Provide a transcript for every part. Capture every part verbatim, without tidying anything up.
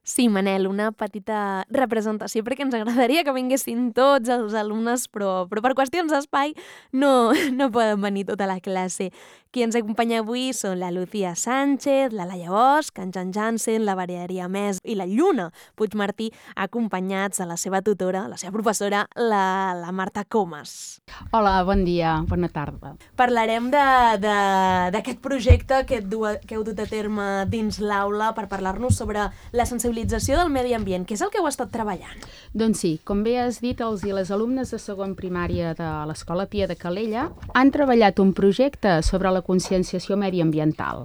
Sí, Manel, una petita representació, perquè ens agradaria que vinguessin tots els alumnes, però, però per qüestions d'espai no, no poden venir tota la classe. Qui ens acompanya avui són la Lucía Sánchez, la Laia Bosch, en Jan Jansen, la Valeria Més i la Lluna Puigmartí, acompanyats de la seva tutora, la seva professora, la, la Marta Comas. Hola, bon dia, bona tarda. Parlarem d'aquest projecte que, du, que heu dut a terme dins l'aula per parlar-nos sobre la sensibilització del medi ambient. Què és el que heu estat treballant? Doncs sí, com bé has dit, els i les alumnes de segon primària de l'Escola Pia de Calella han treballat un projecte sobre la conscienciació mediambiental.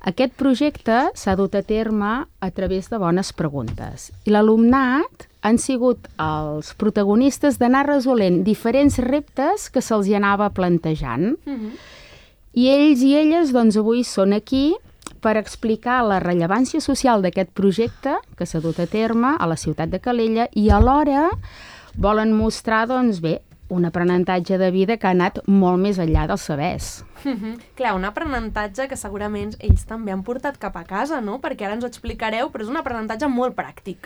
Aquest projecte s'ha dut a terme a través de bones preguntes i l'alumnat han sigut els protagonistes d'anar resolent diferents reptes que se'ls hi anava plantejant. Uh-huh. I ells i elles doncs, avui són aquí per explicar la rellevància social d'aquest projecte que s'ha dut a terme a la ciutat de Calella i alhora volen mostrar, doncs bé, un aprenentatge de vida que ha anat molt més enllà dels sabers. Uh-huh. Clar, un aprenentatge que segurament ells també han portat cap a casa, no? Perquè ara ens ho explicareu, però és un aprenentatge molt pràctic.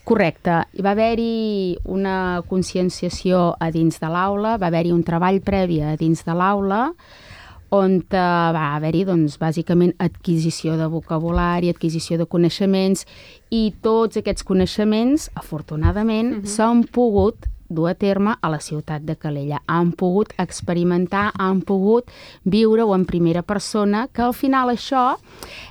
Correcte. Hi va haver-hi una conscienciació a dins de l'aula, va haver-hi un treball previ a dins de l'aula, on va haver-hi, doncs, bàsicament adquisició de vocabulari, adquisició de coneixements, i tots aquests coneixements, afortunadament, uh-huh. s'han pogut dur a terme a la ciutat de Calella. Han pogut experimentar, han pogut viure-ho en primera persona, que al final això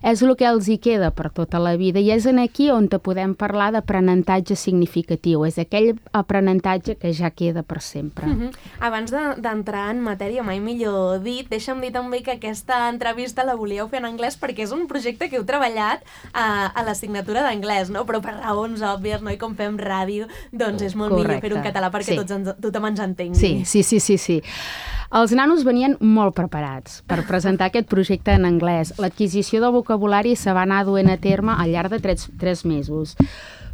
és el que els hi queda per tota la vida i és en aquí on te podem parlar d'aprenentatge significatiu. És aquell aprenentatge que ja queda per sempre. Uh-huh. Abans d'entrar en matèria, mai millor dit, deixa'm dir també que aquesta entrevista la volíeu fer en anglès perquè és un projecte que heu treballat a, a l'assignatura d'anglès, no? Però per raons òbvies, no? I com fem ràdio, doncs és molt Correcte. Millor fer un català perquè sí. tots ens, tothom ens entengui. Sí, sí, sí, sí, sí. Els nanos venien molt preparats per presentar aquest projecte en anglès. L'adquisició del vocabulari se va anar duent a terme al llarg de tres, tres mesos.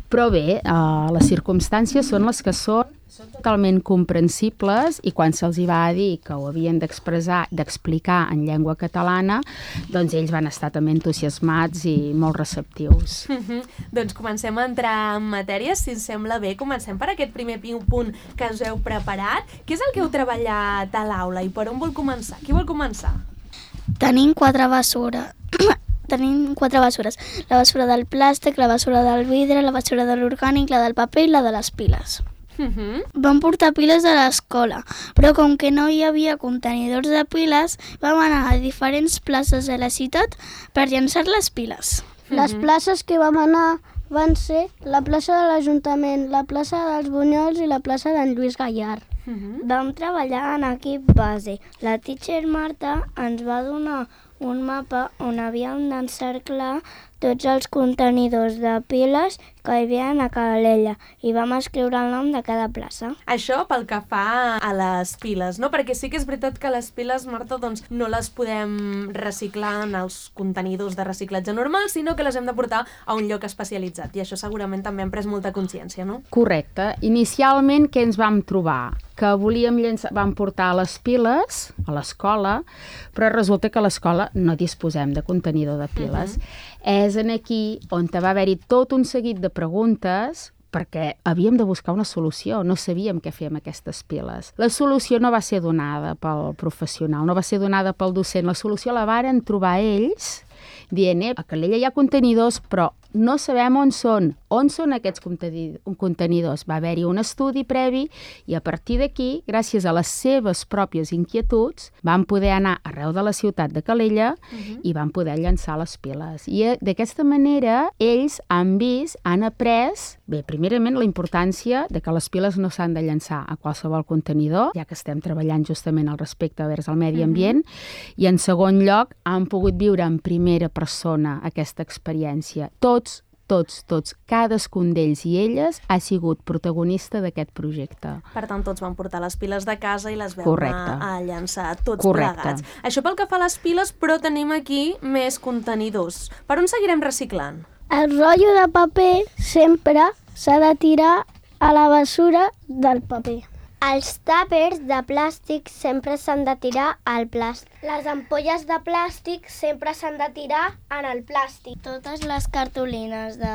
Però bé, eh, les circumstàncies són les que són, són totalment comprensibles i quan se'ls hi va dir que ho havien d'expressar, d'explicar en llengua catalana, doncs ells van estar també entusiasmats i molt receptius. Uh-huh. Doncs comencem a entrar en matèria, si ens sembla bé. Comencem per aquest primer punt que us heu preparat. Què és el que heu treballat a l'aula i per on vol començar? Qui vol començar? Tenim quatre bessures. Tenim quatre bessures. La bessura del plàstic, la bessura del vidre, la bessura de l'orgànic, la del paper i la de les piles. Uh-huh. Vam portar piles a l'escola, però com que no hi havia contenidors de piles, vam anar a diferents places de la ciutat per llançar les piles. Uh-huh. Les places que vam anar van ser la plaça de l'Ajuntament, la plaça dels Bunyols i la plaça d'en Lluís Gallard. Uh-huh. Vam treballar en equip base. La teacher Marta ens va donar un mapa on havíem d'encerclar tots els contenidors de piles que hi havia a Calella i vam escriure el nom de cada plaça. Això pel que fa a les piles, no? Perquè sí que és veritat que les piles, Marta, doncs no les podem reciclar en els contenidors de reciclatge normal, sinó que les hem de portar a un lloc especialitzat i això segurament també hem pres molta consciència, no? Correcte. Inicialment, què ens vam trobar? Que volíem llençar, vam portar les piles a l'escola, però resulta que a l'escola no disposem de contenidor de piles. Uh-huh. És en aquí on va haver-hi tot un seguit de preguntes perquè havíem de buscar una solució, no sabíem què fer amb aquestes piles. La solució no va ser donada pel professional, no va ser donada pel docent, la solució la varen trobar ells dient, eh, a Calella hi ha contenidors, però no sabem on són. On són aquests contenidors? Va haver-hi un estudi previ i a partir d'aquí, gràcies a les seves pròpies inquietuds, van poder anar arreu de la ciutat de Calella uh-huh. i van poder llançar les piles. I d'aquesta manera ells han vist, han après, bé, primerament la importància de que les piles no s'han de llançar a qualsevol contenidor, ja que estem treballant justament al respecte vers el medi ambient, uh-huh. i en segon lloc han pogut viure en primera persona aquesta experiència. Tots Tots, tots, cadascun d'ells i elles ha sigut protagonista d'aquest projecte. Per tant, tots van portar les piles de casa i les vam Correcte. anar a llançar tots Correcte. plegats. Això pel que fa a les piles, però tenim aquí més contenidors. Per on seguirem reciclant? El rotllo de paper sempre s'ha de tirar a la bessura del paper. Els tàpers de plàstic sempre s'han de tirar al plàstic. Les ampolles de plàstic sempre s'han de tirar en el plàstic. Totes les cartolines de,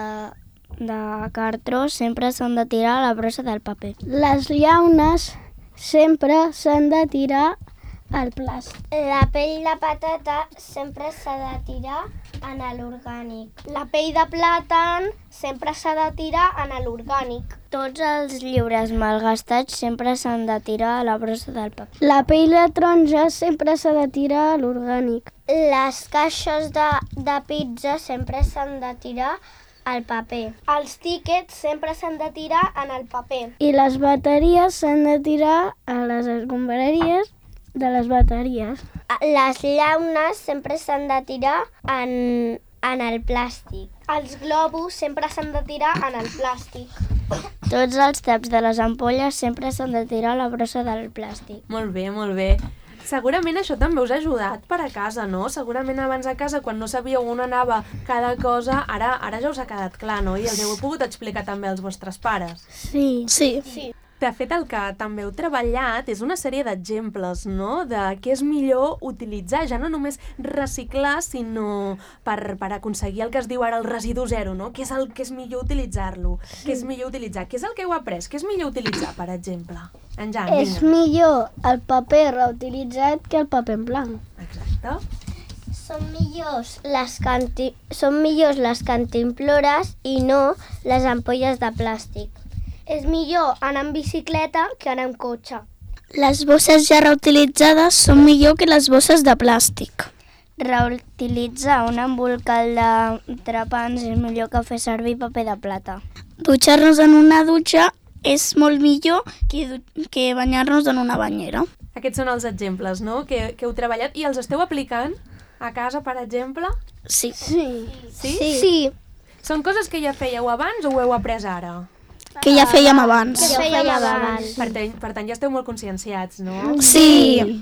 de cartró sempre s'han de tirar a la brossa del paper. Les llaunes sempre s'han de tirar al plàstic. La pell de patata sempre s'ha de tirar en l'orgànic. La pell de plàtan sempre s'ha de tirar en l'orgànic. Tots els llibres malgastats sempre s'han de tirar a la brossa del paper. La pell de taronja sempre s'ha de tirar a l'orgànic. Les caixes de, de pizza sempre s'han de tirar al paper. Els tíquets sempre s'han de tirar en el paper. I les bateries s'han de tirar a les escombraries de les bateries. Les llaunes sempre s'han de tirar en, en el plàstic. Els globus sempre s'han de tirar en el plàstic. Tots els taps de les ampolles sempre s'han de tirar a la brossa del plàstic. Molt bé, molt bé. Segurament això també us ha ajudat per a casa, no? Segurament abans a casa, quan no sabíeu on anava cada cosa, ara, ara ja us ha quedat clar, no? I els heu pogut explicar també als vostres pares. Sí. Sí. sí. De fet, el que també heu treballat és una sèrie d'exemples, no?, de què és millor utilitzar, ja no només reciclar, sinó per, per aconseguir el que es diu ara el residu zero, no? Què és el que és millor utilitzar-lo? Sí. Què és millor utilitzar? Què és el que heu après? Què és millor utilitzar, per exemple? En Jan, És millor el paper reutilitzat que el paper en blanc. Exacte. Són millors les, canti... Són millors les cantimplores i no les ampolles de plàstic. És millor anar en bicicleta que anar en cotxe. Les bosses ja reutilitzades són millor que les bosses de plàstic. Reutilitzar un embolcal de trepants és millor que fer servir paper de plata. Dutxar-nos en una dutxa és molt millor que, que banyar-nos en una banyera. Aquests són els exemples, no?, que, que heu treballat i els esteu aplicant a casa, per exemple? Sí. Sí. Sí? Sí. sí. Són coses que ja fèieu abans o ho heu après ara? Que ja fèiem abans. Que fèiem abans. Per tant, per tant, ja esteu molt conscienciats, no? Sí.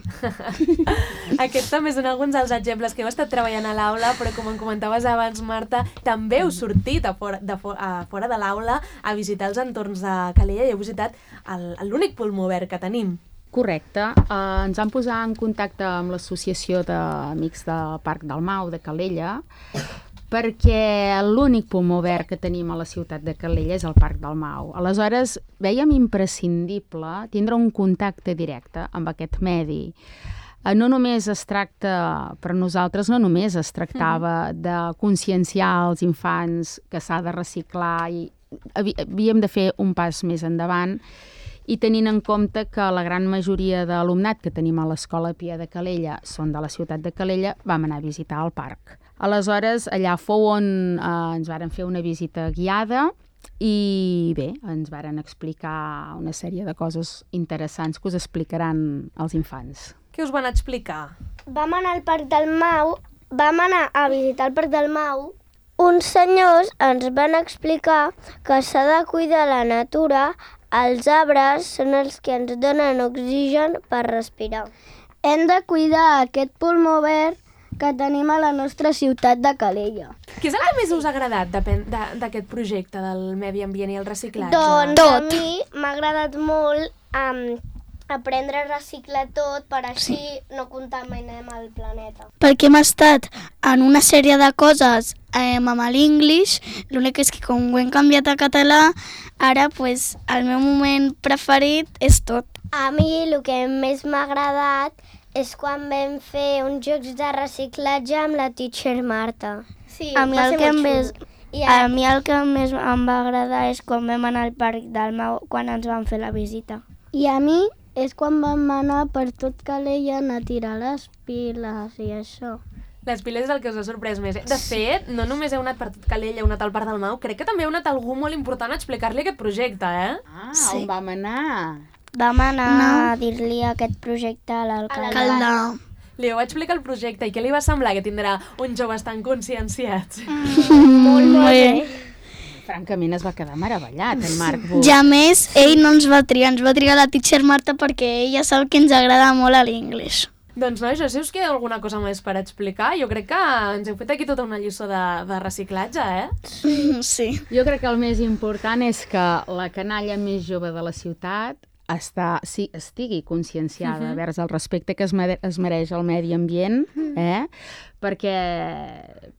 Aquests també són alguns dels exemples que heu estat treballant a l'aula, però com em comentaves abans, Marta, també heu sortit a fora de, a fora de l'aula a visitar els entorns de Calella i heu visitat l'únic pulmó verd que tenim. Correcte. Uh, ens vam posar en contacte amb l'associació d'amics del Parc del Mau de Calella, perquè l'únic pulmó verd que tenim a la ciutat de Calella és el Parc del Mau. Aleshores, vèiem imprescindible tindre un contacte directe amb aquest medi. No només es tracta, per nosaltres, no només es tractava de conscienciar els infants que s'ha de reciclar i havíem de fer un pas més endavant i tenint en compte que la gran majoria d'alumnat que tenim a l'Escola Pia de Calella són de la ciutat de Calella, vam anar a visitar el parc. Aleshores, allà fou on eh, ens varen fer una visita guiada i bé, ens varen explicar una sèrie de coses interessants que us explicaran els infants. Què us van explicar? Vam anar al Parc del Mau, vam anar a visitar el Parc del Mau. Uns senyors ens van explicar que s'ha de cuidar la natura, els arbres són els que ens donen oxigen per respirar. Hem de cuidar aquest pulmó verd que tenim a la nostra ciutat de Calella. Què és el que més us ha agradat d'aquest projecte del medi ambient i el reciclatge? Doncs a mi m'ha agradat molt um, aprendre a reciclar tot per així no contaminem el planeta. Perquè hem estat en una sèrie de coses eh, amb l'English, l'únic és que com ho hem canviat a català, ara pues, el meu moment preferit és tot. A mi el que més m'ha agradat és quan vam fer uns jocs de reciclatge amb la teacher Marta. Sí, a mi el que més, a mi el que més em va agradar és quan vam anar al Parc del Mau, quan ens van fer la visita. I a mi és quan vam anar per tot Calella a tirar les piles i això. Les piles és el que us ha sorprès més. De fet, no només heu anat per tot Calella, heu anat al Parc del Mau, crec que també heu anat algú molt important a explicar-li aquest projecte, eh? Ah, sí. On vam anar? Vam anar no. a dir-li aquest projecte a l'alcalde. Li heu explicat el projecte i què li va semblar que tindrà uns joves tan conscienciats? Mm, molt, molt bé. Francament es va quedar meravellat, el Marc Buch. Ja més, ell no ens va triar, ens va triar la teacher Marta perquè ella sap que ens agrada molt a l'English. Doncs nois, si us queda alguna cosa més per explicar, jo crec que ens heu fet aquí tota una lliçó de, de reciclatge, eh? Sí. sí. Jo crec que el més important és que la canalla més jove de la ciutat està, sí, estigui conscienciada uh-huh. vers el respecte que es, mere, es mereix al medi ambient, eh? perquè,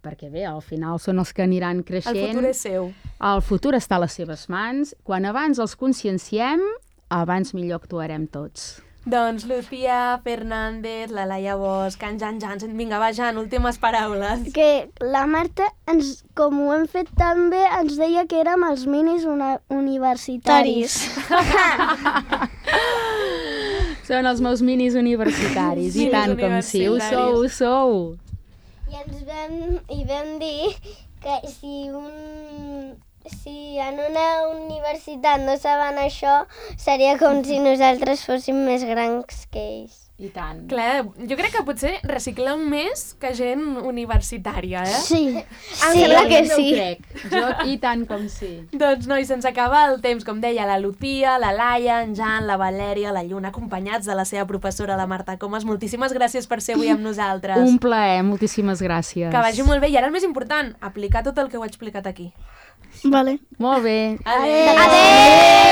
perquè bé, al final són els que aniran creixent. El futur és seu. El futur està a les seves mans. Quan abans els conscienciem, abans millor actuarem tots. Doncs Lucía Fernández, la Laia Bosch, en Jan Jansen... Vinga, va, Jan, últimes paraules. Que la Marta, ens, com ho hem fet tan bé, ens deia que érem els minis una, universitaris. Són els meus minis universitaris, Sí, i tant com sí, ho sou, ho sou. I ens vam, i vam dir que si un... Si en una universitat no saben això, seria com si nosaltres fóssim més grans que ells. I tant. Clar, jo crec que potser recicleu més que gent universitària, eh? Sí. Em sembla que sí. Ho crec. Jo, i tant com sí. Doncs, nois, se'ns acaba el temps, com deia, la Lucía, la Laia, en Jan, la Valèria, la Lluna, acompanyats de la seva professora, la Marta Comas. Moltíssimes gràcies per ser avui amb nosaltres. Un plaer, moltíssimes gràcies. Que vagi molt bé. I ara el més important, aplicar tot el que heu explicat aquí. Vale. Molt bé. Adéu! Adéu!